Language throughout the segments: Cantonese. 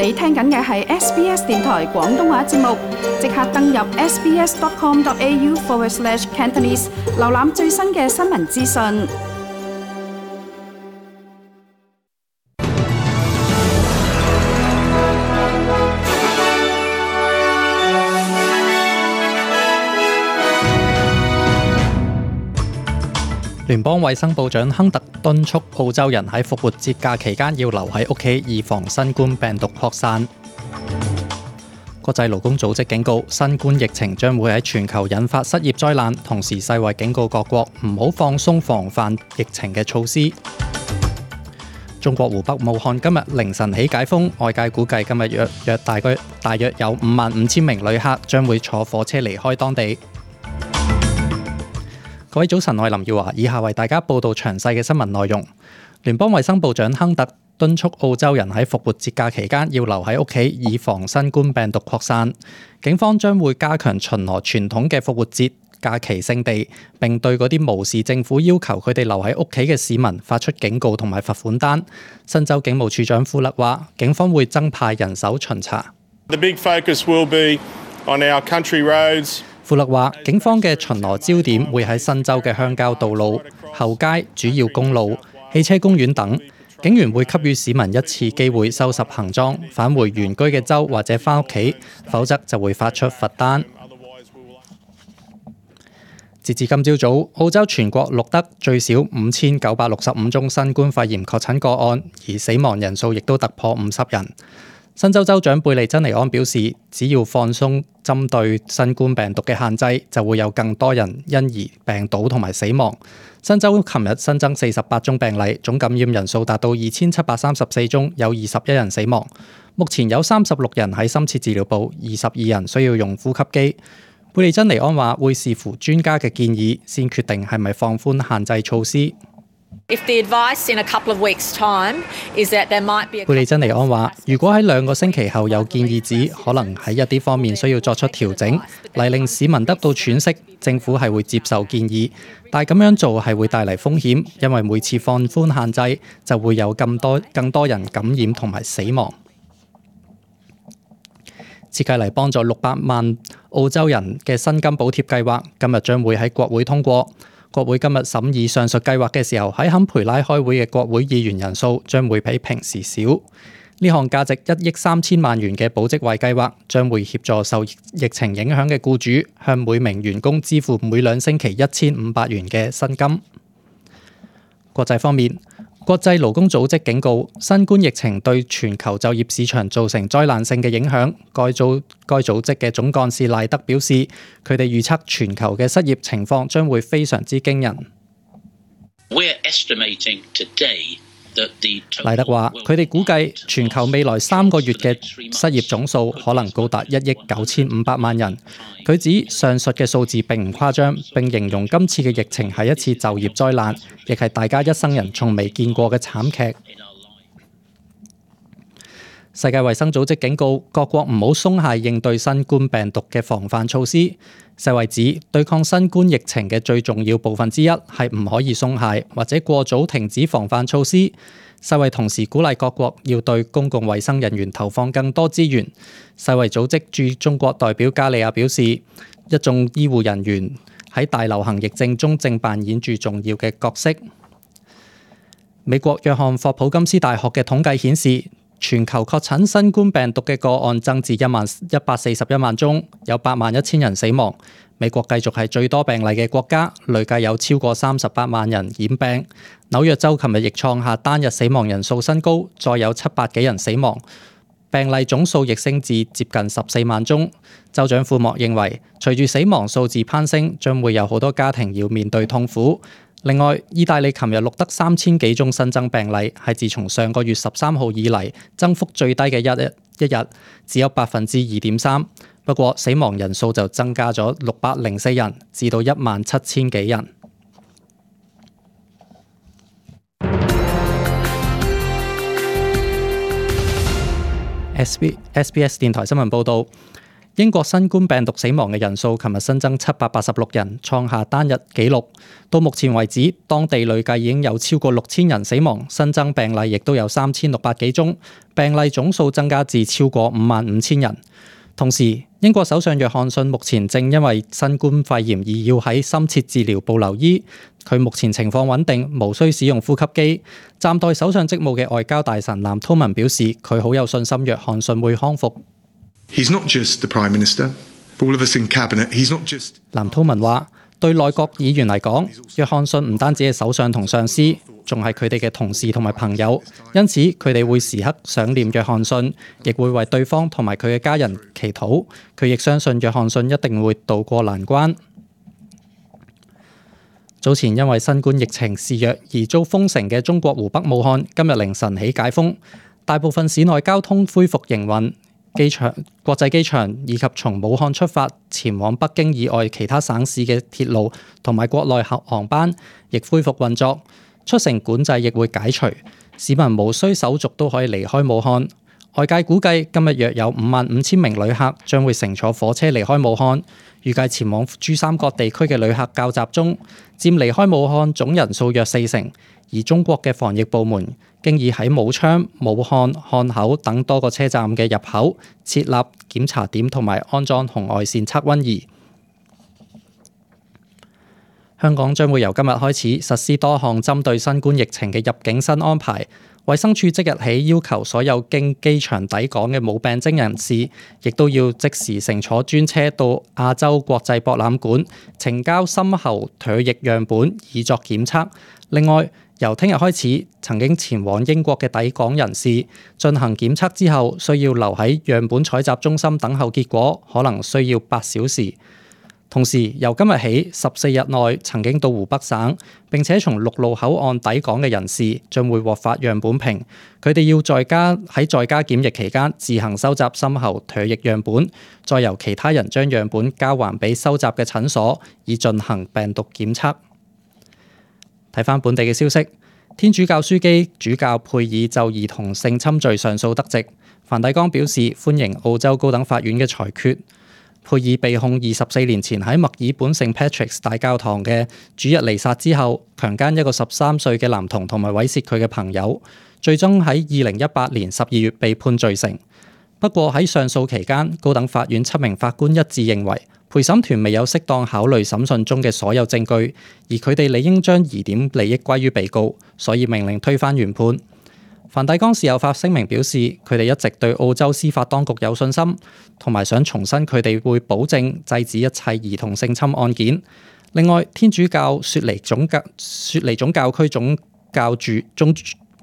你聽緊嘅係 SBS 電台廣東話節目，即刻登入 sbs.com.au/Cantonese 瀏覽最新嘅新聞資訊。聯邦衛生部長亨特敦促澳洲人喺復活節假期間要留喺屋企，以防新冠病毒擴散。國際勞工組織警告，新冠疫情將會喺全球引發失業災難，同時世衛警告各國唔好放鬆防範疫情嘅措施。中國湖北武漢今日凌晨起解封，外界估計今日大約有55,000名旅客將會坐火車離開當地。各位早晨，我係林耀華，以下為大家報道詳細嘅新聞內容。聯邦衛生部長亨特敦促澳洲人喺復活節假期間要留喺屋企，以防新冠病毒擴散。警方將會加強巡邏傳統嘅復活節假期勝地，並對嗰啲無視政府要求佢哋留喺屋企嘅市民發出警告同埋罰款單。新州警務處長富勒話，警方會增派人手巡查。The big focus will be on our country roads. 富勒話，警方嘅巡邏焦點會喺新州嘅鄉郊道路、後街、主要公路、汽車公園等。警員會給予市民一次機會收拾行裝，返回原居嘅州或者返屋企，否則就會發出罰單。截至今朝早，澳洲全國錄得最少5,965宗新冠肺炎確診個案，而死亡人數亦都突破50人。新州州長貝利珍尼安表示，只要放鬆針對新冠病毒嘅限制，就會有更多人因而病倒同埋死亡。新州琴日新增48宗病例，總感染人數達到2,734宗，有21人死亡。目前有36人喺深切治療部，22人需要用呼吸機。貝利珍尼安話會視乎專家嘅建議，先決定係咪放寬限制措施。貝利珍尼安話，如果喺2個星期後有建議指可能喺一啲方面需要作出調整，嚟令市民得到喘息，政府係會接受建議，但係咁樣做係會帶嚟風險，因為每次放寬限制就會有更多人感染同埋死亡。設計嚟幫助600萬澳洲人嘅薪金補貼計劃，今日將會喺國會通過。國會今日審議上述計劃嘅時候，喺坎培拉開會嘅國會議員人數將會比平時少。呢項價值1億3千萬元嘅保職位計劃將會協助受疫情影響嘅僱主，向每名員工支付每2星期1,500元嘅薪金。國際方面，國際勞工組織警告，新冠疫情對全球就業市場造成災難性嘅影響。該組織嘅總幹事賴德表示，佢哋預測全球嘅失業情況將會非常之驚人。賴德話，佢哋估計全球未來3個月嘅失業總數可能高達1億9,500萬人。佢指上述嘅數字並唔誇張，並形容今次嘅疫情係一次就業災難，亦係大家一生人從未見過嘅慘劇。世界衛生組織警告各國唔好鬆懈應對新冠病毒嘅防範措施。世衛指對抗新冠疫情嘅最重要部分之一係唔可以鬆懈或者過早停止防範措施。世衛同時鼓勵各國要對公共衛生人員投放更多資源。世衛組織駐中國代表加利亞表示，一眾醫護人員喺大流行疫症中正扮演住重要嘅角色。美國約翰霍普金斯大學嘅統計顯示，全球確診新冠病毒嘅個案增至141萬宗，有81000人死亡。美國繼續係最多病例嘅國家，累計有超過38萬人染病。紐約州琴日亦創下單日死亡人數新高，再有700幾人死亡，病例總數亦升至接近14萬宗。州長庫莫認為，隨住死亡數字攀升，將會有好多家庭要面對痛苦。另外，意大利琴日錄得3000幾宗新增病例，係自從上個月13號以嚟增幅最低嘅一日，只有2.3%。不過死亡人數就增加咗604人，至到17000幾人。SBS 電台新聞報導。英國新冠病毒死亡嘅人數，琴日新增786人，創下單日紀錄。到目前為止，當地累計已經有超過6000人死亡，新增病例亦都有3600幾宗，病例總數增加至超過55000人。同時，英國首相約翰遜目前正因為新冠肺炎而要喺深切治療部留醫，佢目前情況穩定，無需使用呼吸機。暫代首相職務嘅外交大臣藍韜文表示，佢好有信心約翰遜會康復。He's not just the Prime Minister. For all of us in cabinet, he's not just. 藍韜文話：對內閣議員嚟講，約翰遜唔單止係首相同上司，仲係佢哋嘅同事同埋朋友，因此佢哋會時刻想念約翰遜，亦會為對方同埋佢嘅家人祈禱。佢亦相信約翰遜一定會渡過難關。早前因為新冠疫情肆虐而遭封城嘅中國湖北武漢，今日凌晨起解封，大部分市內交通恢復營運。機場、國際機場以及從武漢出發前往北京以外其他省市嘅鐵路同埋國內航班亦恢復運作，出城管制亦會解除，市民無需手續都可以離開武漢。外界估計今日約有55000名旅客將會乘坐火車離開武漢，預計前往珠三角地區嘅旅客較集中，佔離開武漢總人數約40%。而中國嘅防疫部門經已喺武昌、武漢、漢口等多個車站嘅入口設立檢查點同埋安裝紅外線測溫儀。香港將會由今日開始實施多項針對新冠疫情嘅入境新安排。衛生署即日起要求所有經機場抵港嘅冇病徵人士，亦都要即時乘坐專車到亞洲國際博覽館呈交深喉唾液樣本以作檢測。另外，由聽日開始，曾經前往英國嘅抵港人士進行檢測之後，需要留喺樣本採集中心等候結果，可能需要8小時。同時，由今日起14日內曾經到湖北省並且從陸路口岸抵港嘅人士，將會獲發樣本瓶。佢哋要在家檢疫期間自行收集深喉唾液樣本，再由其他人將樣本交還俾收集嘅診所，以進行病毒檢測。睇返本地嘅消息，天主教樞機主教佩爾就兒童性侵罪上訴得直，梵蒂岡表示歡迎澳洲高等法院嘅裁決。佩爾被控24年前喺墨爾本聖 Patrick's 大教堂嘅主日彌撒之後，強姦一個13歲嘅男童同埋猥褻佢嘅朋友，最終喺2018年12月被判罪成。不過喺上訴期間，高等法院7名法官一致認為，陪審團未有適當考慮審訊中嘅所有證據，而佢哋理應將疑點利益歸於被告，所以命令推翻原判。梵蒂岡事後發聲明表示，佢哋一直對澳洲司法當局有信心，同埋想重申佢哋會保證制止一切兒童性侵案件。另外，天主教雪梨總教區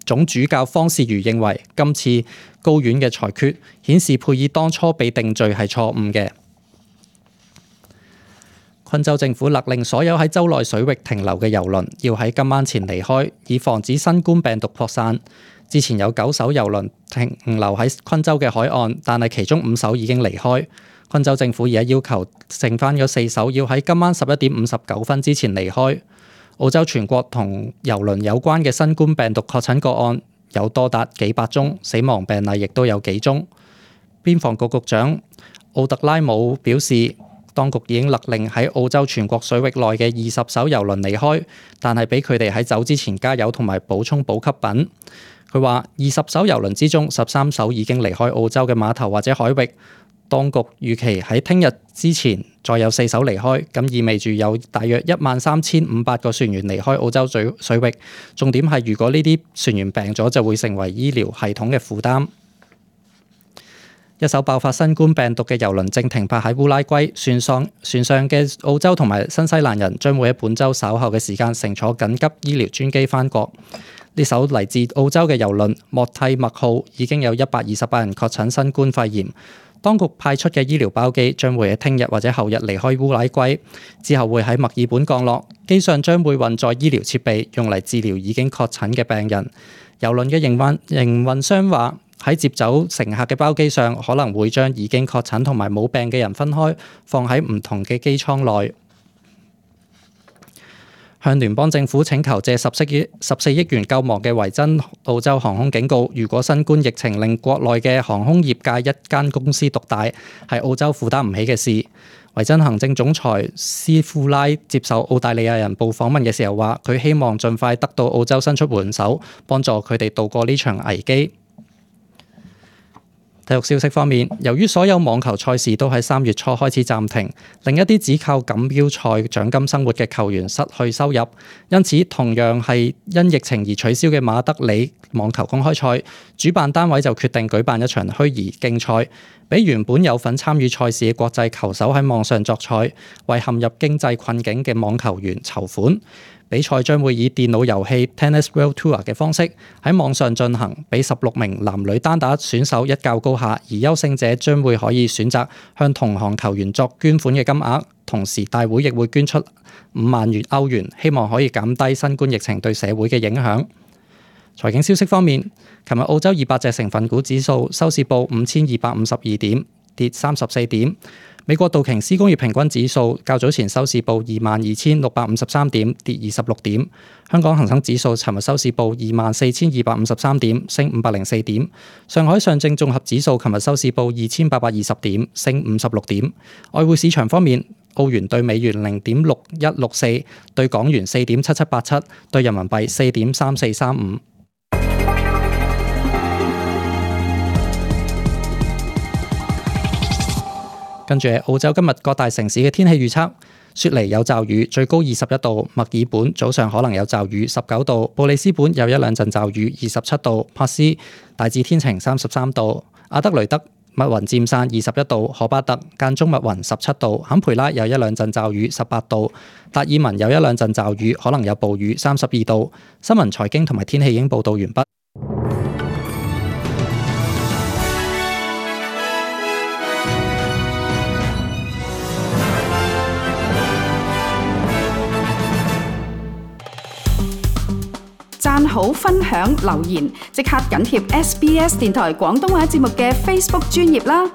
總主教方士瑜認為，今次高院嘅裁決顯示佩爾當初被定罪係錯誤嘅。昆州政府勒令所有喺州內水域停留嘅郵輪要喺今晚前離開，以防止新冠病毒擴散。之前有9艘郵輪停留喺昆州嘅海岸，但係其中5艘已經離開。昆州政府而家要求剩翻嗰4艘要喺今晚11點59分之前離開。澳洲全國同郵輪有關嘅新冠病毒確診個案有多達幾百宗，死亡病例亦都有幾宗。邊防局局長奧特拉姆表示，當局已經勒令喺澳洲全國水域內嘅20艘郵輪離開，但係俾佢哋喺走之前加油同埋補充補給品。佢話20艘郵輪之中13艘已經離開澳洲嘅碼頭或者海域，當局預期喺聽日之前再有4艘離開，咁意味住有大約13500個船員離開澳洲水域。重點係如果呢啲船員病咗，就會成為醫療系統嘅負擔。一艘爆發新冠病毒嘅郵輪正停泊喺烏拉圭，船上嘅澳洲同埋新西蘭人將會喺本週稍後嘅時間乘坐緊急醫療專機返國。呢艘嚟自澳洲嘅郵輪莫蒂麥號已經有128人確診新冠肺炎，當局派出嘅醫療包機將會喺聽日或者後日離開烏拉圭，之後會喺墨爾本降落，機上將會運載醫療設備用嚟治療已經確診嘅病人。郵輪嘅營運商話，喺接走乘客嘅包機上可能會將已經確診同埋冇病嘅人分開，放喺唔同嘅機艙內。向聯邦政府請求借14億元救亡嘅維珍澳洲航空警告，如果新冠疫情令國內嘅航空業界一間公司獨大，係澳洲負擔唔起嘅事。維珍行政總裁斯庫拉接受澳大利亞人報訪問嘅時候話，佢希望盡快得到澳洲伸出援手，幫助佢哋渡過呢場危機。體育消息方面，由於所有網球賽事都喺3月初開始暫停，令一啲只靠錦標賽獎金生活嘅球員失去收入，因此同樣係因疫情而取消嘅馬德里網球公開賽，主辦單位就決定舉辦一場虛擬競賽，俾原本有份參與賽事嘅國際球手喺網上作賽，為陷入經濟困境嘅網球員籌款。比賽將會以電腦遊戲 Tennis World Tour 嘅方式喺網上進行，俾16名男女單打選手一較高下，而優勝者將會可以選擇向同行球員作捐款嘅金額，同時大會亦會捐出5萬歐元，希望可以減低新冠疫情對社會嘅影響。財經消息方面，琴日澳洲200隻成分股指數收市報5252點，跌34點。美國道瓊斯工業平均指數較早前收市報22,653點，跌26點。香港恒生指數尋日收市報24,253點，升504點。上海上證綜合指數尋日收市報2,820點，升56點。外匯市場方面，澳元對美元0.6164，對港元4.7787，對人民幣4.3435。跟住澳洲今日各大城市嘅天氣預測：雪梨有驟雨，最高21度；墨爾本早上可能有驟雨，19度；布里斯本有1-2陣驟雨，27度；珀斯大致天晴，33度；阿德雷德密雲漸散，21度；荷巴特間中密雲，17度；坎培拉有1-2陣驟雨，18度；達爾文有1-2陣驟雨，可能有暴雨，32度。新聞財經同埋天氣已經報導完畢。讚好、分享、留言，即刻緊貼SBS 電台廣東話節目嘅 Facebook 專頁啦！